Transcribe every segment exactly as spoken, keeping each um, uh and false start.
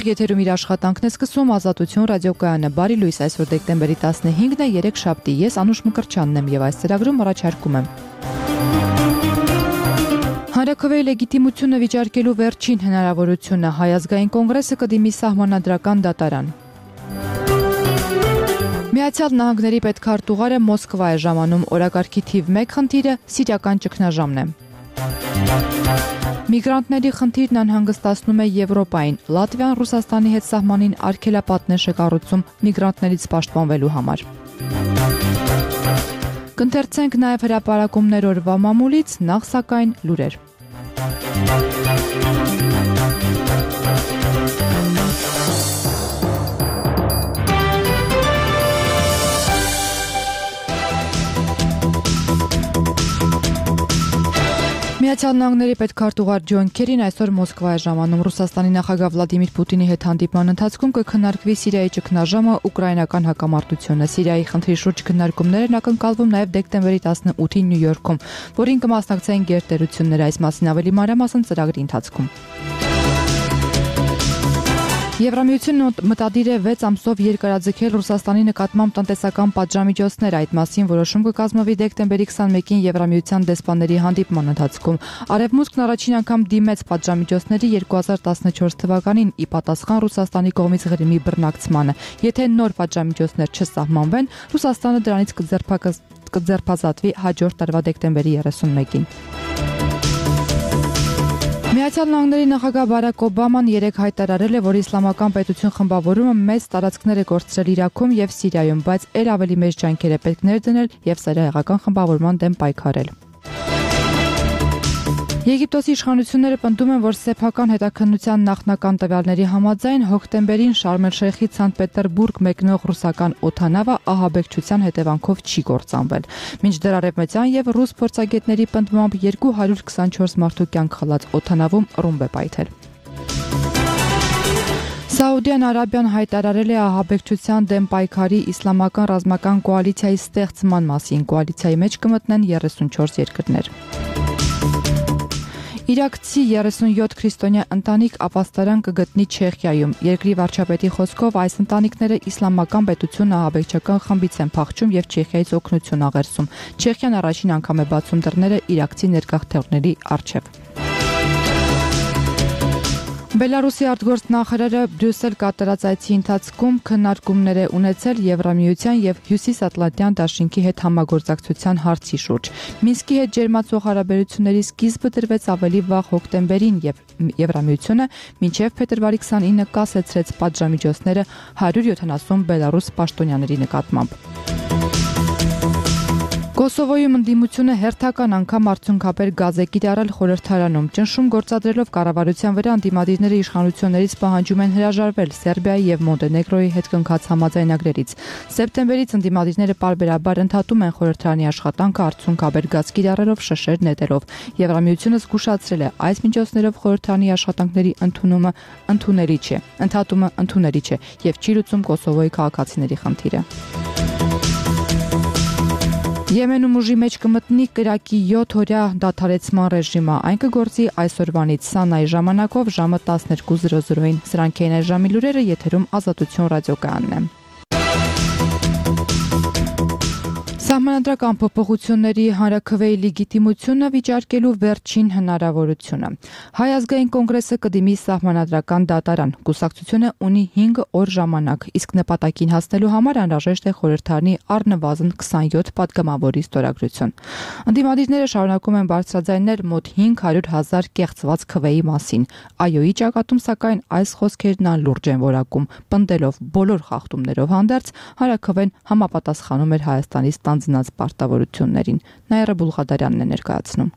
Եթերում իր աշխատանքն է սկսում Ազատություն ռադիոկայանը։ Բարի լույս, այսօր դեկտեմբերի տասնհինգն է, երեքշաբթի։ Ես Անուշ Մկրտչյանն եմ եւ այս ծրագրում առաջարկում եմ Հանրաքվեի լեգիտիմությունը վիճարկելու վերջին հնարավորությունը, Հայ ազգային կոնգրեսը կդիմի սահմանադրական դատարան։ Միացյալ Նահանգների պետքարտուղարը Մոսկվա է ժամանում, օրակարգի թիվ մեկ խնդիրը սիրիական ճգնաժամն է։ Միգրանտների խնդիրն անհանգստացնում է Եվրոպային։ Լատվիան Ռուսաստանի հետ սահմանին արգելապատներ է կառուցում միգրանտներից պաշտպանվելու համար։ Կընթերցենք նաև հրապարակումներ օրվա մամուլից, նախ սակայն լուրեր։ Միացյալ Նահանգների պետքարտուղար Ջոն Քերին այսօր Մոսկվա է ժամանում։ Ռուսաստանի նախագահ Վլադիմիր Պուտինի հետ հանդիպման ընթացքում կքննարկվի Սիրիայի ճգնաժամը, ուկրաինական հակամարտությունը։ Սիրիայի խնդրի շուրջ քննարկումներն ակնկալվում նաև դեկտեմբերի տասնութին Նյու Յորքում, որին կմասնակցեն գերտերությունները, այս մասին ավելի մանրամասն ծրագրի ընթացքում։ Եվրամիությունն մտադիր է վեց ամսով երկարաձգել Ռուսաստանի նկատմամբ տնտեսական պատժամիջոցներ, այդ մասին որոշում կկազմվի դեկտեմբերի քսանմեկին Եվրամիության դեսպանների հանդիպման ընթացքում։ Արևմուտքն առաջին անգամ դիմեց պատժամիջոցների երկու հազար տասնչորս թվականին ի պատասխան Ռուսաստանի կողմից Ղրիմի բռնակցմանը։ Եթե նոր պատժամիջոցներ չսահմանվեն, Ռուսաստանը դրանից կձերբազատվի հաջորդ տարվա դեկտեմբերի երեսունմեկին։ Միացյալ Նահանգների նախագահ Բարակ Օբաման երեկ հայտարարել է, որ իսլամական պետություն խմբավորումը մեծ տարածքներ է կորցրել Իրաքում եւ Սիրիայում, բայց ել ավելի մեծ ջանքեր է պետք ներդնել եւ սերահեղական խմբավորման դեմ պայքարել։ Եգիպտոսի իշխանությունները պնդում են, որ սեփական հետաքննության նախնական տվյալների համաձայն հոկտեմբերին Շարմ էլ-Շեյխից Սանտ Պետերբուրգ մեկնող ռուսական օդանավը ահաբեկչության հետևանքով չի կործանվել։ Մինչդեռ արևմտյան եւ ռուս փորձագետների պնդմամբ երկու հարյուր քսանչորս մարդու կյանք խլած օդանավում ռումբ է պայթել։ Սաուդյան Արաբիան հայտարարել է ահաբեկչության դեմ պայքարի իսլամական ռազմական կոալիցիայի ստեղծման մասին։ Կոալիցիայի մեջ կմտնեն երեսունչորս երկրներ։ Իրաքցի երեսունյոթ քրիստոնյա ընտանիք ապաստարան կգտնի Չեխիայում։ Երկրի վարչապետի խոսքով այս ընտանիքները իսլամական պետություն ահաբեկչական խմբից են փախչում եւ Չեխիայից օգնություն աղերսում։ Չեխիան առաջին անգամ է բացում դռները իրաքցի ներգաղթողների առջև։ Բելարուսի արտգործնախարարը Բրյուսել կատարած այցի ընթացքում քննարկումներ է ունեցել Եվրամիության եւ Հյուսիսատլանտյան դաշինքի հետ համագործակցության հարցի շուրջ։ Մինսկի հետ ջերմացող հարաբերությունների սկիզբը դրվեց ավելի վաղ հոկտեմբերին եւ Եվրամիությունը մինչեւ փետրվարի քսանինը կասեցրեց պատժամիջոցները հարյուր յոթանասուն բելարուս պաշտոնյաների նկատմամբ։ Կոսովոյում ընդդիմությունը հերթական անգամ արդյունքաբեր գազ է կիրառել խորհրդարանում։ Ճնշում գործադրելով կառավարության վրա ընդդիմադիրները իշխանություններից պահանջում են հրաժարվել Սերբիայի եւ Մոնտենեգրոյի հետ կնքած համաձայնագրերից։ Սեպտեմբերից ընդդիմադիրները պարբերաբար ընդհատում են խորհրդարանի աշխատանքը արդյունքաբեր գազ կիրառելով շշեր նետելով։ Եվրամիությունը զգուշացրել է, այս միջոցներով խորհրդարանի աշխատանքների ընդունումը ընդունելի չէ, ընդհատումը ընդունելի չէ եւ չի լուծում Կոսովոյի քաղաքացիների խնդիրը։ Եմենում ուժի մեջ կմտնի կրակի յոթ օրյա դադարեցման ռեժիմը, այն կգործի այսօրվանից Սանայի ժամանակով ժամը տասներկու զրո զրոյին։ Սրանք էին այս ժամի լուրերը, եթերում Ազատություն ռադիոկայանն է։ Սահմանադրական փոփոխությունների հանրաքվեի լեգիտիմությունը վիճարկելու վերջին հնարավորությունը։ Հայ ազգային կոնգրեսը կդիմի սահմանադրական դատարան։ Կուսակցությունը ունի հինգ օր ժամանակ, իսկ նպատակին հասնելու համար անհրաժեշտ է խորհրդարանի առնվազն քսանյոթ պատգամավորի ստորագրություն։ Ընդդիմադիրները շարունակում են բարձրաձայնել մոտ հինգ հարյուր հազար կեղծված քվեի մասին։ ԱՅՈ-ի ճակատում սակայն այս խոսքերն անլուրջ են որակում, պնդելով բոլոր խախտումներով հանդերձ հանրաքվեն համապատասխանում էր Հայաստանի ստանձնած պարտավորություններին։ Նաիրա Բուլղադարյանն է ներկայացնում։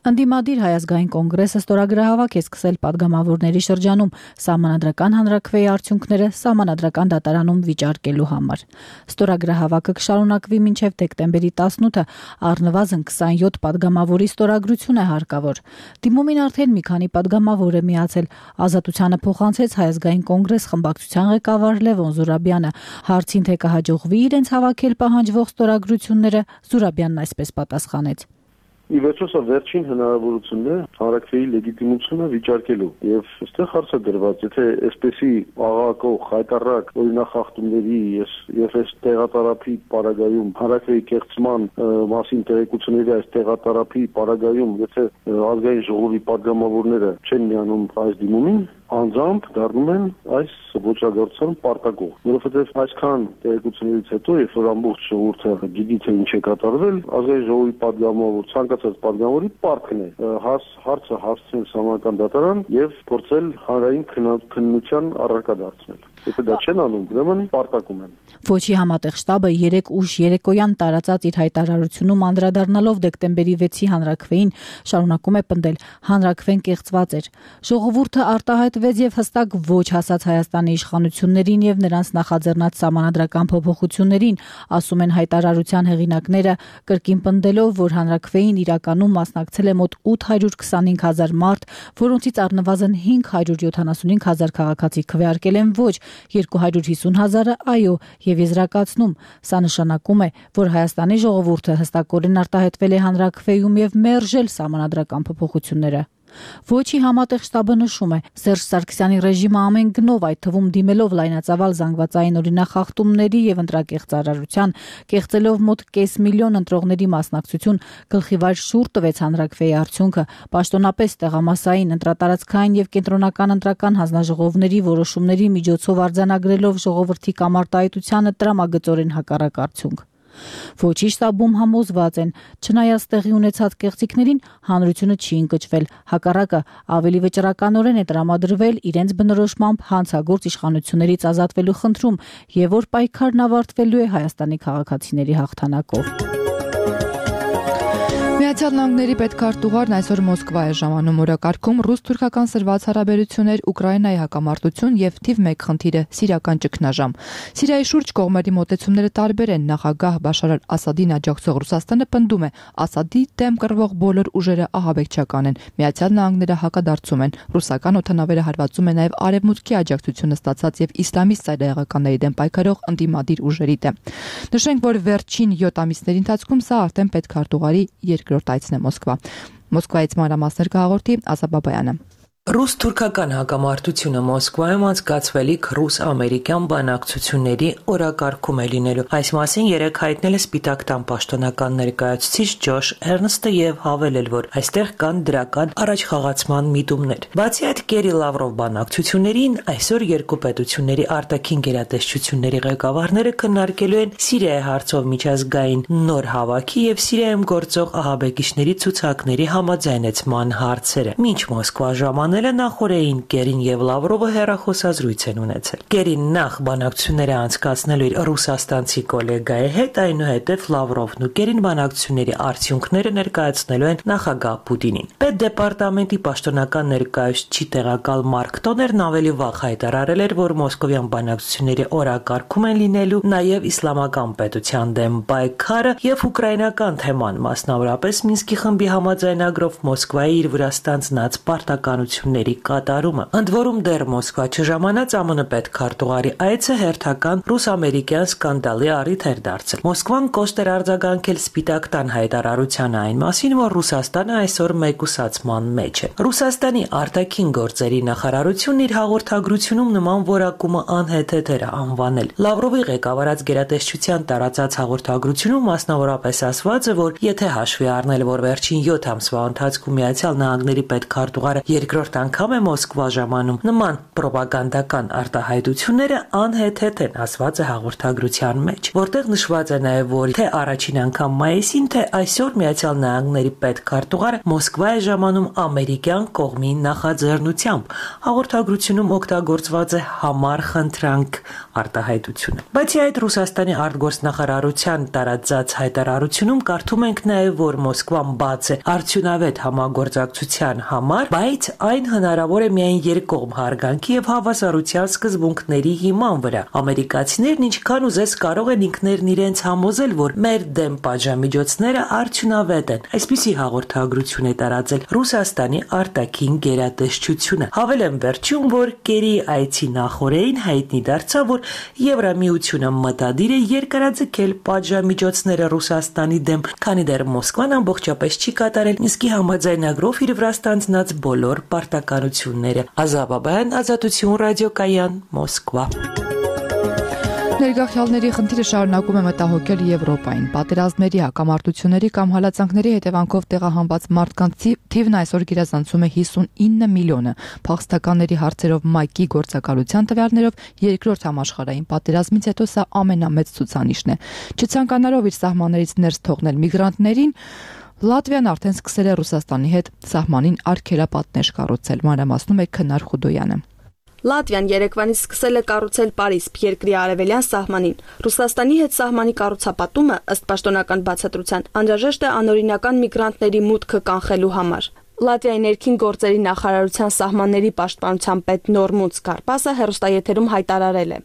Ընդդիմադիր Հայ ազգային կոնգրեսը ստորագրահավաք է սկսել պատգամավորների շրջանում սահմանադրական հանրաքվեի արդյունքները սահմանադրական դատարանում վիճարկելու համար։ Ստորագրահավաքը կշարունակվի մինչև դեկտեմբերի տասնութը, առնվազն քսանյոթ պատգամավորի ստորագրություն է հարկավոր։ Դիմումին արդեն մի քանի պատգամավոր է միացել։ Ազատությանը փոխանցեց Հայ ազգային կոնգրես խմբակցության ղեկավար Լևոն Զուրաբյանը։ Հարցին թե կհաջողվի իրենց հավաքել պահանջվող ստորագրությունները, Զուրաբյանն այսպես պատասխանեց. ի վերջո սա վերջին հնարավորությունն է հանրաքվեի լեգիտիմությունը վիճարկելու եւ այստեղ հարց է դրված, եթե այսպեսի աղաղակող հայտարարակ օրինախախտումների եւ այս տեղատարափի պարագայում հանրաքվեի կեղծման մասին տեղեկությունների այս տեղատարափի պարագայում եթե ազգային ժողովի падգամավորները չեն միանում այս դիմումին, անձամբ դառնում են այս ոչրագործության պարտակող, որովհետև այսքան տեղեկություններից հետո, երբ որ ամբողջ ժողովուրդը գիտի թե ինչ է կատարվել, ազգային ժողովի падգամավոր, ցանկացած падգամավորի պարտքն է հաս հարցը հասցնել Սահմանադրական դատարան եւ փորձել հանրային քննության առարկա դարձնել։ Եթե դա չեն անում, ուրեմն պարտակում են։ Ոչի համատեղ շտաբը երեկ ուշ երեկոյան տարածած իր հայտարարությունում անդրադառնալով դեկտեմբերի վեցի հանրաքվեին շարունակում է պնդել հանրաքվեն կեղծված էր։ Ժողովուրդը արտահայտվեց եւ հստակ ոչ հասած Հայաստանի իշխանություններին եւ նրանց նախաձեռնած սահմանադրական փոփոխություններին, ասում են հայտարարության հեղինակները, կրկին պնդելով, որ հանրաքվեին իրականում մասնակցել է մոտ ութ հարյուր քսանհինգ հազար մարդ, որոնցից առնվազն հինգ հարյուր յոթանասունհինգ հազար քաղաքացի քվեարկել են ոչ, երկու հարյուր հիսուն հազարը այո, եւ եզրակացնում, սա նշանակում է, որ Հայաստանի ժողովուրդը հստակորեն արտահայտվել է հանրաքվեում եւ մերժել սահմանադրական փոփոխությունները։ Ոչի համատեղ շտաբը նշում է, Սերժ Սարգսյանի ռեժիմը ամեն գնով, այդ թվում դիմելով լայնածավալ զանգվածային օրինախախտումների եւ ընտրակեղծարարության, կեղծելով մոտ կես միլիոն ընտրողների մասնակցություն, գլխիվայր շուռ տվեց հանրաքվեի արդյունքը, պաշտոնապես տեղամասային, ընտրատարածքային եւ կենտրոնական ընտրական հանձնաժողովների որոշումների միջոցով արձանագրելով ժողովրդի կամարտահայտությանը տրամագծորեն հակառակ արդյունք։ Ոչի շտաբում համոզված են, չնայած տեղի ունեցած կեղծիքներին, հանրությունը չի ընկճվել, հակառակը ավելի վճռականորեն է տրամադրվել իրենց բնորոշմամբ հանցագործ իշխանություններից ազատվելու խնդրում եւ որ պայքարն ավարտվելու է Հայաստանի քաղաքացիների հաղթանակով։ Միացյալ Նահանգների պետքարտուղարն այսօր Մոսկվա է ժամանում, օրակարգում ռուս-թուրքական սրված հարաբերություններ, Ուկրաինայի հակամարտություն եւ թիվ մեկ խնդիրը սիրիական ճգնաժամ։ Սիրիայի շուրջ կողմերի մոտեցումները տարբեր են, նախագահ Բաշար Ասադին աջակցող Ռուսաստանը պնդում է, Ասադի դեմ կռվող բոլոր ուժերը ահաբեկչական են, Միացյալ Նահանգները հակադարձում են, ռուսական օդանավերը հարվածում են նաեւ արևմուտքի աջակցությունը ստացած եւ իսլամիստ ծայրահեղականների դեմ պայքարող ընդդիմադիր ուժերի դեմ։ Նշենք, որ վերջին յոթ ամիսների ընթացքում սա արդեն պետքարտուղարի երկրորդ այցն է Մոսկվա։ Մոսկվայից մանրամասներ կհաղորդի Ազա Բաբայանը։ Ռուս-թուրքական հակամարտությունը Մոսկվայում անցկացվելիք ռուս-ամերիկյան բանակցությունների օրակարգում է լինելու։ Այս մասին երեկ հայտնել է Սպիտակ տան պաշտոնական ներկայացուցիչ Ջոշ Էրնստը եւ հավելել, որ այստեղ կան դրական առաջխաղացման միտումներ։ Բացի այդ, Կերի Լավրով բանակցություններին այսօր երկու պետությունների արտաքին գերատեսչությունների ղեկավարները քննարկելու են Սիրիայի հարցով միջազգային նոր հավաքի եւ Սիրիայում գործող ահաբեկիչների ցուցակների համաձայնեցման հարցերը։ Մինչ Մոսկվա ժամանակ նախորդին Կերին եւ Լավրովը հեռախոսազրույց են ունեցել։ Կերին նախ բանակցությունները անցկացնելու իր ռուսաստանցի գոլեգայի հետ, այնուհետև Լավրովն ու Կերին բանակցությունների արդյունքները ներկայացնելու են նախագահ Պուտինին։ Պետդեպարտամենտի պաշտոնական ներկայացուցիչ տեղակալ Մարկ Տոներն ավելի վաղ հայտարարել էր, որ մոսկովյան բանակցությունների օրակարգում են լինելու նաեւ իսլամական պետության դեմ պայքարը եւ ուկրաինական թեման, մասնավորապես Մինսկի խմբի համաձայնագրով Մոսկվայի իր վրա ստանձնած պարտականություն կատարումը։ Ընդ որում դեռ Մոսկվա չժամանած ԱՄՆ պետքարտուղարի այցը հերթական ռուս-ամերիկյան սկանդալի առիթ էր դարձել։ Մոսկվան կոշտ էր արձագանքել Սպիտակ տան հայտարարության այն մասին, որ Ռուսաստանը այսօր մեկուսացման մեջ է։ Ռուսաստանի արտաքին գործերի նախարարությունն իր հաղորդագրությունում նման որակումը անհեթեթ էր անվանել։ Լավրովի ղեկավարած գերատեսչության տարածած հաղորդագրությունում մասնավորապես ասված է, որ եթե հաշվի առնել, որ վերջին յոթ ամսվա ընթացքում Միացյալ Նահանգների պետքարտուղարը երկրորդ անգամ է Մոսկվա ժամանում, նման պրոպագանդական արտահայտությունները անհեթեթ են, ասված է հաղորդագրության մեջ, որտեղ նշված է նաև, որ թե առաջին անգամ մայիսին, թե այսօր Միացյալ Նահանգների պետքարտուղարը Մոսկվա է ժամանում ամերիկյան կողմի նախաձեռնությամբ։ Հաղորդագրությունում օգտագործված է համառ խնդրանք արտահայտությունը։ Բացի այդ, Ռուսաստանի արտգործնախարարության տարածած հայտարարությունում կարդում ենք նաև, որ Մոսկվան բաց է արդյունավետ համագործակցության համար, բայց այն այն հնարավոր է միայն երկկողմ հարգանքի եւ հավասարության սկզբունքների հիման վրա։ Ամերիկացիներն ինչքան ուզես կարող են ինքներն իրենց համոզել, որ մեր դեմ պատժամիջոցները արդյունավետ են։ Այսպիսի հաղորդագրություն է տարածել Ռուսաստանի արտաքին գերատեսչությունը։ Հավելեմ վերջում, որ Կերի այցի նախօրեին հայտնի դարձավ, որ Եվրամիությունը մտադիր է երկարաձգել պատժամիջոցները Ռուսաստանի դեմ, քանի դեռ Մոսկվան ամբողջապես չի կատարել Մինսկի համաձայնագրով իր վրա ստանձնած բոլոր պարտականությունները։ Ազատ Բաբայան, Ազատություն ռադիոկայան, Մոսկվա։ Ներգաղթյալների խնդիրը շարունակում է մտահոգել Եվրոպային։ Պատերազմների, հակամարտությունների կամ հալածանքների հետևանքով տեղահանված մարդկանց թիվն այսօր գերազանցում է հիսունինը միլիոնը։ Փախստականների հարցերով ՄԱԿ-ի գործակալության տվյալներով երկրորդ համաշխարհային պատերազմից հետո սա ամենամեծ ցուցանիշն է։ Չցանկանալով իր սահմաններից ներս թողնել միգրանտներին, Լատվիան արդեն սկսել է Ռուսաստանի հետ սահմանին արգելապատնեշ կառուցել, մանրամասնում է Քնար Խուդոյանը։ Լատվիան երեկվանից սկսել է կառուցել Պարիսպ երկրի արևելյան սահմանին։ Ռուսաստանի հետ սահմանի կառուցապատումը, ըստ պաշտոնական բացատրության, անհրաժեշտ է անօրինական միգրանտների մուտքը կանխելու համար։ Լատվիայի ներքին գործերի նախարարության սահմանների պաշտպանության պետ Նորմունց Կարպասը հեռուստաեթերում հայտարարել է.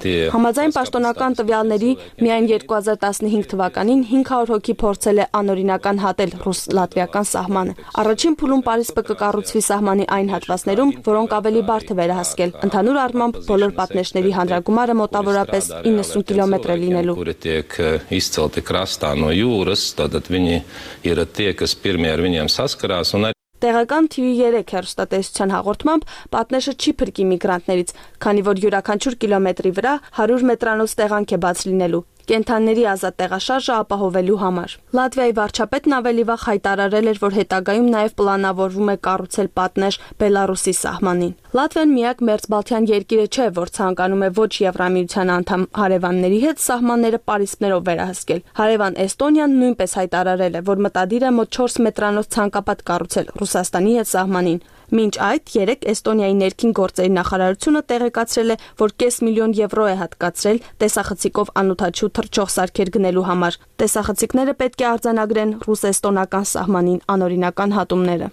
Համաձայն պաշտոնական տվյալների միայն երկու հազար տասնհինգ թվականին հինգ հարյուր հոգի փորձել է անօրինական հատել ռուս-լատվիական սահմանը։ Առաջին փուլում Պարիսպը կկառուցվի սահմանի այն հատվածներում, որոնք ավելի բարդ է վերահսկել։ Ընդհանուր առմամբ բոլոր պատնեշների հանրագումարը մոտավորապես իննսուն կիլոմետր է լինելու։ Տեղական Թի վի երեք հեռուստատեսության հաղորդմամբ պատնեշը չի փրկի միգրանտներից, քանի որ յուրաքանչյուր կիլոմետրի վրա հարյուր մետրանոց տեղանք է բաց լինելու, կենդանիների ազատ տեղաշարժը ապահովելու համար։ Լատվիայի վարչապետն ավելի վաղ հայտարարել էր, որ հետագայում նաև պլանավորվում է կառուցել պատնեշ Բելարուսի սահմանին։ Լատվիան միակ մերձբալթյան երկիրը չէ, որ ցանկանում է ոչ Եվրամիության անդամ հարևանների հետ սահմանները պարիսպներով վերահսկել։ Հարևան Էստոնիան նույնպես հայտարարել է, որ մտադիր է մոտ չորս մետրանոց ցանկապատ կառուցել Ռուսաստանի հետ սահմանին։ Մինչ այդ երեք Էստոնիայի ներքին գործերի նախարարությունը տեղեկացրել է, որ կես միլիոն եվրո է հատկացրել տեսախցիկով անօդաչու թռչող սարքեր գնելու համար։ Տեսախցիկները պետք է արձանագրեն ռուս-էստոնական սահմանին անօրինական հատումները։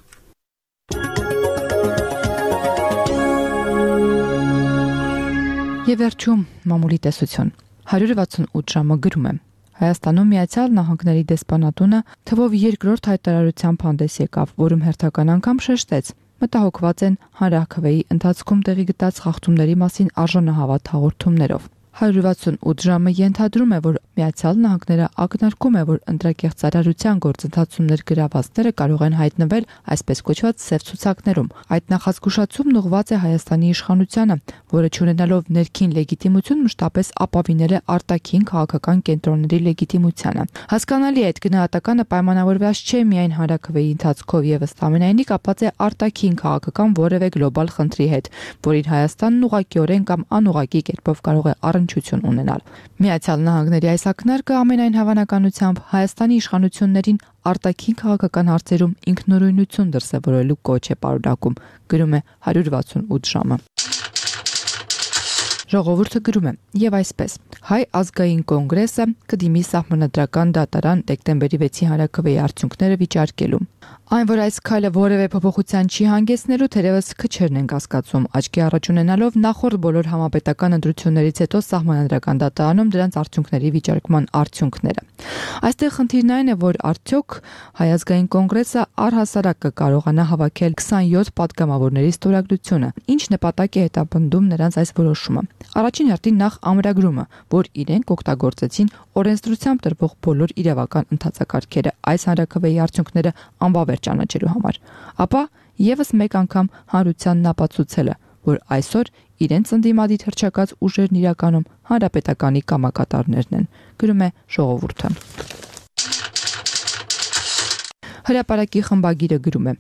Եվ վերջում մամուլի տեսություն։ հարյուր վաթսունութ ժամը գրում է. Հայաստանում Միացյալ Նահանգների դեսպանատունը թվով երկրորդ հայտարարությամբ հանդես եկավ, որում հերթական անգամ շեշտեց. մտահոգված են հանրաքվեի ընթացքում տեղի գտած խախտումների մասին արժանահավատ հաղորդումներով։ հարյուր վաթսունութ ժամը ենթադրում է, որ Միացյալ Նահանգները ակնարկում է, որ ընտրակեղծարարության գործընթացումներ գրավածները կարող են հայտնվել այսպես կոչված սև ցուցակներում։ Այդ նախազգուշացումն ուղղված է Հայաստանի իշխանությանը, որը չունենալով ներքին լեգիտիմություն մշտապես ապավինել է արտաքին քաղաքական կենտրոնների լեգիտիմությանը։ Հասկանալի է, այդ գնահատականը պայմանավորված չէ միայն հանրաքվեի ընթացքով եւ ըստ ամենայնի կապված է արտաքին քաղաքական որևէ գլոբալ խնդրի հետ, որին Հայաստանն ուղղակիորեն կամ անուղղակի կերպով կարող է առնչություն ունենալ։ Միացյալ Նահանգների այս ակնարկը ամենայն հավանականությամբ Հայաստանի իշխանություններին արտաքին քաղաքական հարցերում ինքնուրույնություն դրսևորելու կոչ է պարունակում, գրում է հարյուր վաթսունութ ժամը։ Ժողովուրդը գրում է. եւ այսպես Հայ ազգային կոնգրեսը կդիմի սահմանադրական դատարան դեկտեմբերի վեցի հանրաքվեի արդյունքները վիճարկելու։ Այն, որ այս քայլը որևէ փոփոխության չի հանգեցնելու, թերևս քչերն են կասկածում, աչքի առաջ ունենալով նախորդ բոլոր համապետական ընտրություններից հետո սահմանադրական դատարանում դրանց արդյունքների վիճարկման արդյունքները։ Այստեղ խնդիրն այն է, որ արդյոք Հայ ազգային կոնգրեսը առհասարակ կկարողանա հավաքել քսանյոթ պատգամավորների ստորագրությունը, ինչ նպատակ է հետապնդում նրանց այս որոշումը։ Առաջին հերթին նախ ամրագրումը, որ իրենք օգտագործեցին օրենսդրությամբ տրվող բոլոր իրավական ընթացակարգերը այս հանրաքվեի արդյունքները անբավեր ճանաչելու համար, ապա եւս մեկ անգամ հանրությանն ապացուցելը, որ այսօր իրենց ընդդիմադիր հռչակած ուժերն իրականում հանրապետականի կամակատարներն են, գրում է Ժողովուրդը։ Հրապարակի խմբագիրը գրում է.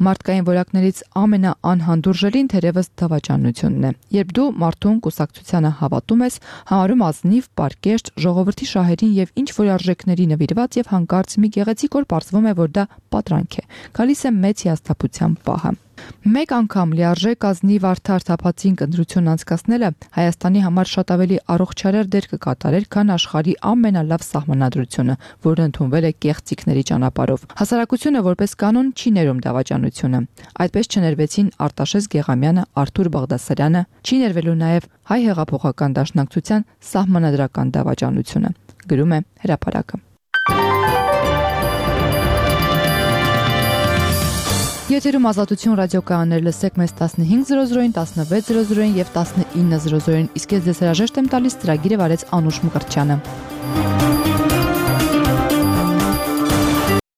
Մարդկային որակներից ամենաանհանդուրժելին թերևս դավաճանությունն է։ Երբ դու մարդուն կուսակցությանը հավատում ես, համարում ազնիվ, պարկեշտ, ժողովրդի շահերին եւ ինչ որ արժեքների նվիրված եւ հանկարծ մի գեղեցիկ օր պարզվում է, որ դա պատրանք է։ Գալիս է մեծ հիասթափության պահը։ Մեկ անգամ լիարժեք ազնիվ արդար թափածին ընտրություն անցկացնելը Հայաստանի համար շատ ավելի առողջարար դեր կկատարեր, քան աշխարհի ամենալավ սահմանադրությունը, որը ընդունվել է կեղծիքների ճանապարհով։ Հասարակությունը որպես կանոն չի ներում դավաճանությունը։ Այդպես չներվեցին Արտաշես Գեղամյանը, Արթուր Բաղդասարյանը, չի ներվելու նաև Հայ հեղափոխական դաշնակցության սահմանադրական դավաճանությունը, գրում է Հրապարակը։ Եթերում Ազատություն ռադիոկայաններ, լսեք մեզ տասնհինգ զրո զրոին, տասնվեց զրո զրոին եւ տասնինը զրո զրոին, իսկ ես ձեզ հրաժեշտ եմ տալիս ծրագիրը վարեց Անուշ Մկրտչյանը։